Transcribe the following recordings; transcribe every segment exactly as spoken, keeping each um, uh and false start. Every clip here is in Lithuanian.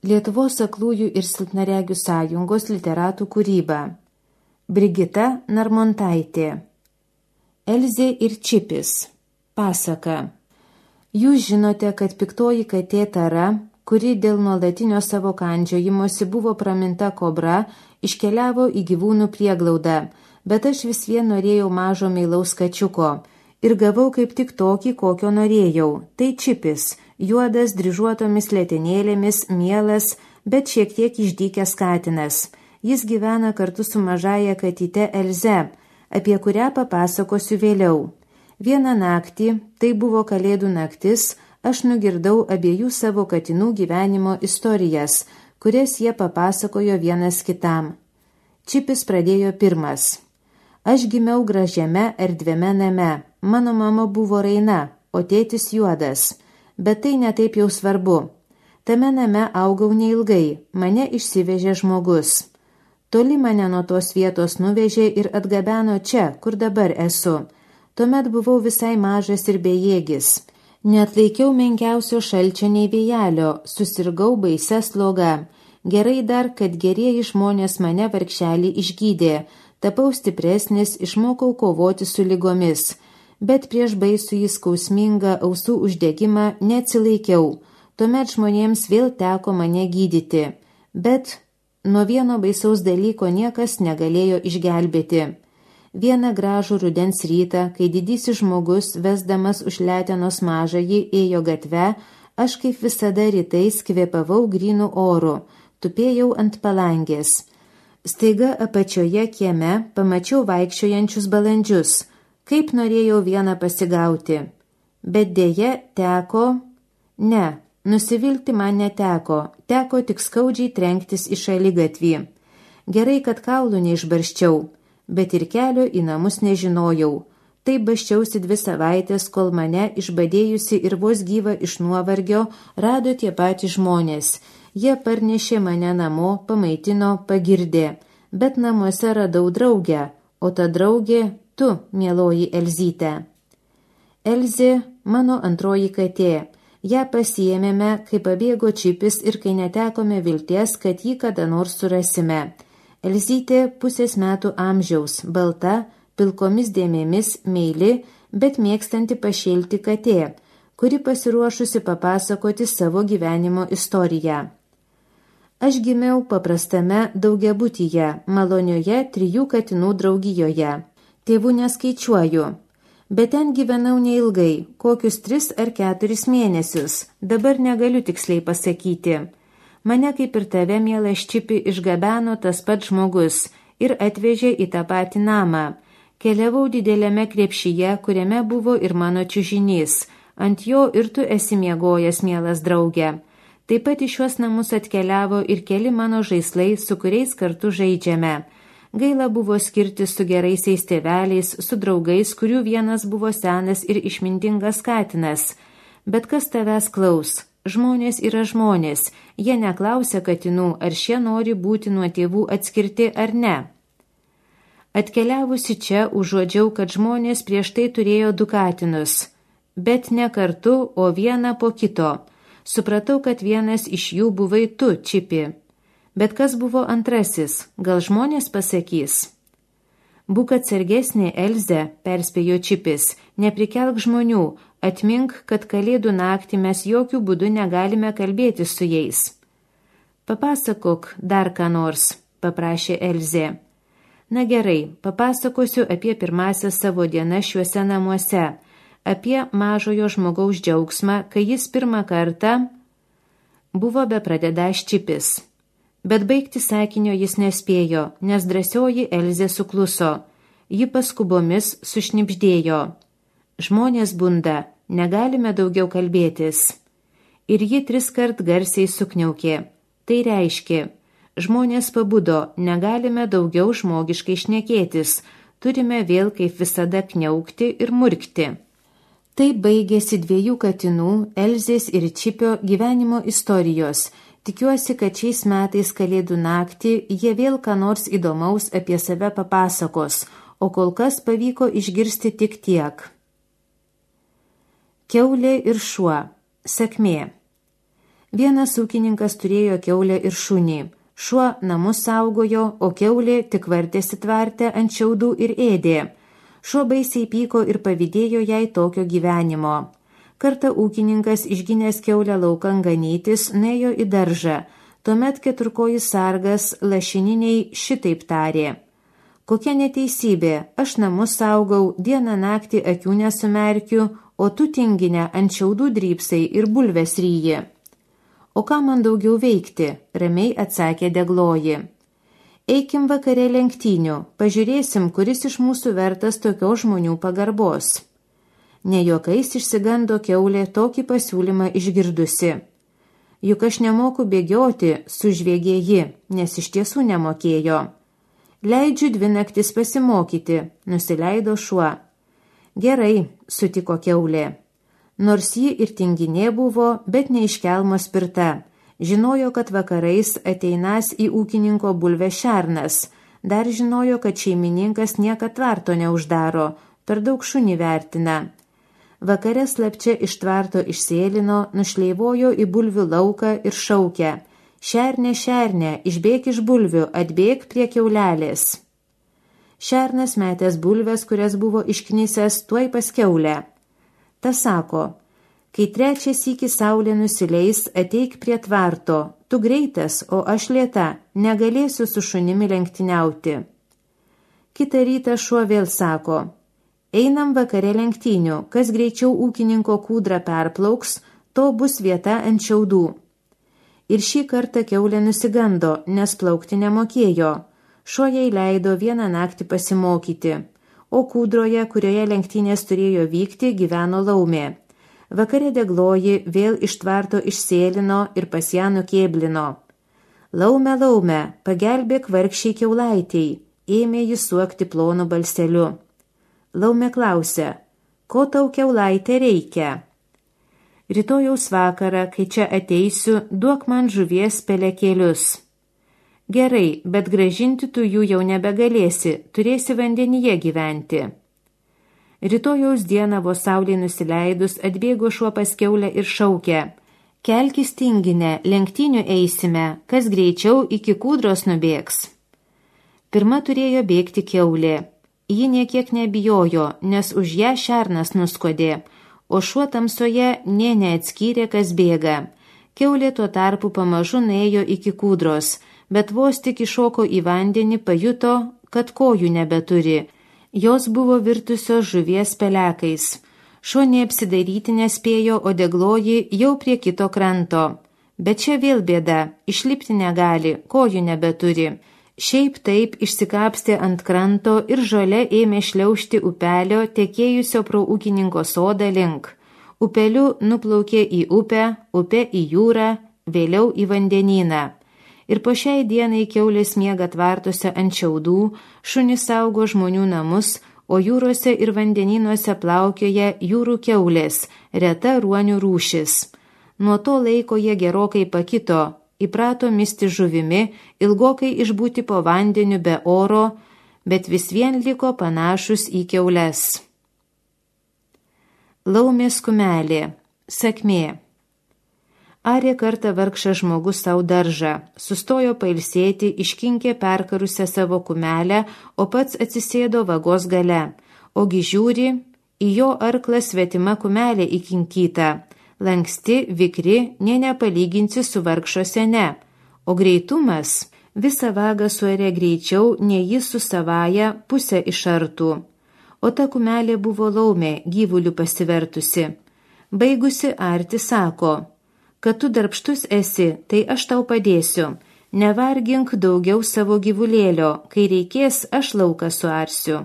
Lietuvos aklųjų ir silpnaregių sąjungos literatų kūryba. Brigita Narmontaitė. Elzė ir Čipis. Pasaka. Jūs žinote, kad piktoji katė Tara, kuri dėl nuolatinio savo kandžiojimosi buvo praminta kobra, iškeliavo į gyvūnų prieglaudą, bet aš vis vien norėjau mažo meilaus kačiuko ir gavau kaip tik tokį, kokio norėjau. Tai Čipis, juodas dryžuotomis letenėlėmis, mielas, bet šiek tiek išdykęs katinas. Jis gyvena kartu su mažaja katyte Elze, apie kurią papasakosiu vėliau. Vieną naktį, tai buvo kalėdų naktis, aš nugirdau abiejų savo katinų gyvenimo istorijas, kurias jie papasakojo vienas kitam. Čipis pradėjo pirmas. Aš gimiau gražiame erdviame name. Mano mama buvo raina, o tėtis juodas. Bet tai netaip jau svarbu. Tame name augau neilgai, mane išsivežė žmogus. Toli mane nuo tos vietos nuvežė ir atgabeno čia, kur dabar esu. Tuomet buvau visai mažas ir bejėgis. Neatlaikiau menkiausio šalčio nei vėjelio, susirgau baisia sloga. Gerai dar, kad gerieji žmonės mane vargšelį išgydė. Tapau stipresnis, išmokau kovoti su ligomis. Bet prieš baisų į skausmingą ausų uždegimą neatsilaikiau. Tuomet žmonėms vėl teko mane gydyti. Bet nuo vieno baisaus dalyko niekas negalėjo išgelbėti. Vieną gražų rudens rytą, kai didysis žmogus, vesdamas už letenos mažąjį, ėjo gatve, aš kaip visada rytais kvėpavau grynų oru, tupėjau ant palangės. Staiga apačioje kieme pamačiau vaikščiojančius balandžius, kaip norėjau vieną pasigauti. Bet dėje teko... Ne, nusivilti man neteko, teko tik skaudžiai trenktis į šaligatvį. Gerai, kad kaulų neišbarščiau. Bet ir kelio į namus nežinojau. Taip baščiausi dvi savaitės, kol mane, išbadėjusi ir vos gyva iš nuovargio, rado tie patys žmonės. Jie parnešė mane namo, pamaitino, pagirdė. Bet namuose radau draugę, o ta draugė tu, mieloji Elzyte. Elzė mano antroji katė. Ją pasiėmėme, kai pabėgo Čipis ir kai netekome vilties, kad jį kada nors surasime. Elzytė pusės metų amžiaus, balta, pilkomis dėmėmis, meili, bet mėgstanti pašėlti katė, kuri pasiruošusi papasakoti savo gyvenimo istoriją. Aš gimiau paprastame daugiabutyje, malonioje trijų katinų draugijoje. Tėvų neskaičiuoju, bet ten gyvenau neilgai, kokius tris ar keturis mėnesius, dabar negaliu tiksliai pasakyti. Mane kaip ir tave, mielas Čipi, išgabeno tas pats žmogus ir atvežė į tą patį namą. Keliavau didelėme krepšyje, kuriame buvo ir mano čiužinys. Ant jo ir tu esi miegojęs, mielas draugė. Taip pat į šiuos namus atkeliavo ir keli mano žaislai, su kuriais kartu žaidžiame. Gaila buvo skirtis su geraisiais tėveliais, su draugais, kurių vienas buvo senas ir išmintingas katinas. Bet kas tavęs klaus? Žmonės yra žmonės, jie neklausia katinų, ar šie nori būti nuo tėvų atskirti ar ne. Atkeliavusi čia, užuodžiau, kad žmonės prieš tai turėjo du katinus, bet ne kartu, o vieną po kito. Supratau, kad vienas iš jų buvai tu, Čipi. Bet kas buvo antrasis, gal žmonės pasakys? Būk atsargesnė, Elze, perspėjo Čipis, neprikelk žmonių, atmink, kad kalėdų naktį mes jokių būdų negalime kalbėti su jais. Papasakok dar ką nors, paprašė Elzė. Na gerai, papasakosiu apie pirmąsias savo dienas šiuose namuose, apie mažojo žmogaus džiaugsmą, kai jis pirmą kartą buvo bepradedąs Čipis. Bet baigti sakinio jis nespėjo, nes drąsioji Elzė sukluso. Ji paskubomis sušnibždėjo. Žmonės bunda, negalime daugiau kalbėtis. Ir ji triskart garsiai sukniaukė. Tai reiškia, žmonės pabudo, negalime daugiau žmogiškai šnekėtis, turime vėl kaip visada kniaukti ir murkti. Taip baigėsi dviejų katinų, Elzės ir Čipio gyvenimo istorijos. Tikiuosi, kad šiais metais kalėdų naktį jie vėl ką nors įdomaus apie save papasakos, o kol kas pavyko išgirsti tik tiek. Kiaulė ir šuo. Sakmė. Vienas ūkininkas turėjo kiaulę ir šunį. Šuo namus saugojo, o kiaulė tik vartėsi tvarte ant šiaudų ir ėdė. Šuo baisiai pyko ir pavydėjo jai tokio gyvenimo. Kartą ūkininkas išginęs kiaulę laukan ganytis, nuėjo į daržą. Tuomet keturkojis sargas lašininiai šitaip tarė: kokia neteisybė, aš namus saugau, dieną naktį akių nesumerkiu, o tu tinginę ant šiaudų drypsai ir bulves ryji. O ką man daugiau veikti, ramiai atsakė degloji. Eikim vakare lenktynių, pažiūrėsim, kuris iš mūsų vertas tokios žmonių pagarbos. Ne juokais išsigando kiaulė tokį pasiūlymą išgirdusi. Juk aš nemoku bėgioti, sužviegė ji, nes iš tiesų nemokėjo. Leidžiu dvi naktis pasimokyti, nusileido šuo. Gerai, sutiko kiaulė. Nors ji ir tinginė buvo, bet neiškelmo spirta. Žinojo, kad vakarais ateinas į ūkininko bulvę šernas. Dar žinojo, kad šeimininkas niekad tvarto neuždaro, per daug šunį vertina. Vakare slapčia iš tvarto išsėlino, nušleivojo į bulvių lauką ir šaukė: šernė, šernė, išbėk iš bulvių, atbėk prie kiaulelės. Šernas metęs bulves, kurias buvo išknisęs, tuoj pas kiaulę. Ta sako: kai trečias iki saulė nusileis, ateik prie tvarto, tu greitas, o aš lėta, negalėsiu su šunimi lenktyniauti. Kitą rytą šuo vėl sako: einam vakare lenktynių, kas greičiau ūkininko kūdrą perplauks, to bus vieta ant šiaudų. Ir šį kartą kiaulė nusigando, nes plaukti nemokėjo. Šuo jai leido vieną naktį pasimokyti. O kūdroje, kurioje lenktynės turėjo vykti, gyveno laumė. Vakare degloji vėl iš tvarto išsėlino ir pas ją nukėblino. Laume, laume, pagelbėk vargšiai kiaulaitei, ėmė jis suokti plonu balseliu. Laume klausė: ko tau kiaulaitė reikia? Rytojaus vakarą, kai čia ateisiu, duok man žuvies pelekėlius. Gerai, bet grąžinti tu jų jau nebegalėsi, turėsi vandenyje gyventi. Rytojaus dieną vos saulei nusileidus atbėgo šuo pas kiaulę ir šaukė: kelkis tinginę, lenktynių eisime, kas greičiau iki kūdros nubėgs. Pirma turėjo bėgti kiaulė. Ji niekiek nebijojo, nes už ją šernas nuskodė, o šuo tamsoje nė neatskyrė, kas bėga. Kiaulė tuo tarpu pamažu nuėjo iki kūdros, bet vos tik iššoko į vandenį, pajuto, kad kojų nebeturi. Jos buvo virtusios žuvies pelekais. Šuo neapsidaryti nespėjo, o degloji jau prie kito kranto. Bet čia vėl bėda, išlipti negali, kojų nebeturi. Šiaip taip išsikapstė ant kranto ir žole ėmė šliaužti upelio tekėjusio pro ūkininko sodą link. Upeliu nuplaukė į upę, upė į jūrą, vėliau į vandenyną. Ir po šiai dienai kiaulės miega tvartuose ant šiaudų, šunys saugo žmonių namus, o jūrose ir vandenynuose plaukioja jūrų kiaulės, reta ruonių rūšis. Nuo to laiko jie gerokai pakito, įprato misti žuvimi, ilgokai išbūti po vandeniu be oro, bet vis vien liko panašus į kiaules. Laumės kumelė. Sakmė. Arė kartą vargšas žmogus savo daržą, sustojo pailsėti, iškinkė perkarusią savo kumelę, o pats atsisėdo vagos gale. Ogi žiūri, į jo arklą svetima kumelė įkinkyta, lanksti, vikri, nė nepalyginsi su vargšo sene. O greitumas, visą vagą suarė greičiau, nei jis su savaja pusę išartų. O ta kumelė buvo laumė, gyvulių pasivertusi. Baigusi arti sako: kad tu darbštus esi, tai aš tau padėsiu. Nevargink daugiau savo gyvulėlio, kai reikės, aš lauką suarsiu.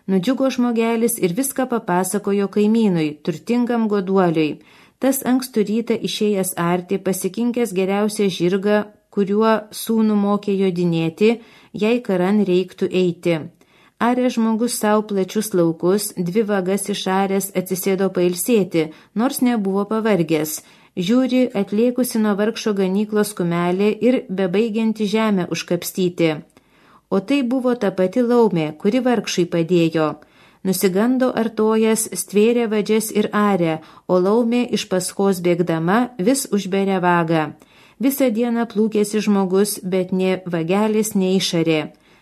Nudžiugo žmogelis ir viską papasakojo kaimynui, turtingam goduoliui. Tas ankstų rytą išėjęs arti, pasikinkęs geriausią žirgą, kuriuo sūnų mokė jodinėti, jei karan reiktų eiti. Arė žmogus savo plačius laukus, dvi vagas išaręs atsisėdo pailsėti, nors nebuvo pavargęs. Žiūri, atliekusi nuo vargšo ganyklos kumelė ir bebaigianti žemę užkapstyti. O tai buvo ta pati laumė, kuri vargšui padėjo. Nusigando artojas, stvėrė vadžias ir arė, o laumė iš paskos bėgdama vis užberė vagą. Visą dieną plūkėsi žmogus, bet nė vagelis neišarė.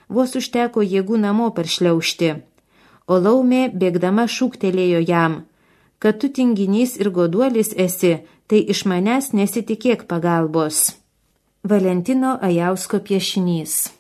Vos užteko jėgų namo paršliaužti. O laumė bėgdama šūktelėjo jam: kad tu tinginys ir goduolis esi, tai iš manęs nesitikėk pagalbos. Valentino Ajausko piešinys.